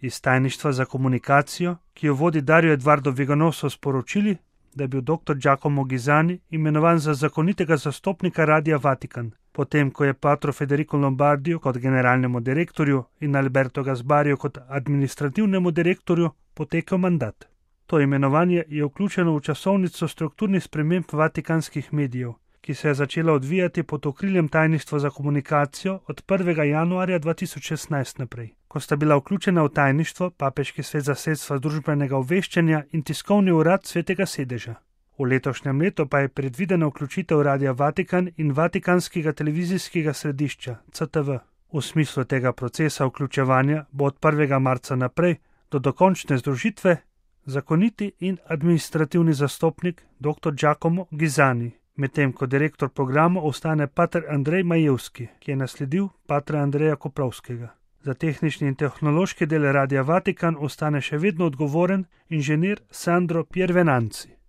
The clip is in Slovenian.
Iz tajništva za komunikacijo, ki jo vodi Dario Eduardo Vigano, so sporočili, da je bil dr. Giacomo Ghisani imenovan za zakonitega zastopnika Radia Vatikan, potem ko je patru Federico Lombardiju kot generalnemu direktorju in Alberto Gasbariju kot administrativnemu direktorju potekel mandat. To imenovanje je vključeno v časovnico strukturnih sprememb vatikanskih medijev, ki se je začela odvijati pod okriljem tajništva za komunikacijo od 1. januarja 2016 naprej, ko sta bila vključena v tajništvo Papeški svet za sredstva družbenega obveščanja in tiskovni urad Svetega sedeža. V letošnjem letu pa je predvidena vključitev Radia Vatikan in Vatikanskega televizijskega središča CTV. V smislu tega procesa vključevanja bo od 1. marca naprej do dokončne združitve zakoniti in administrativni zastopnik dr. Giacomo Ghisani, medtem ko direktor programa ostane pater Andrej Majevski, ki je nasledil patra Andreja Koprovskega. Za tehnični in tehnološki del Radia Vatikan ostane še vedno odgovoren inženir Sandro Piervenanzi.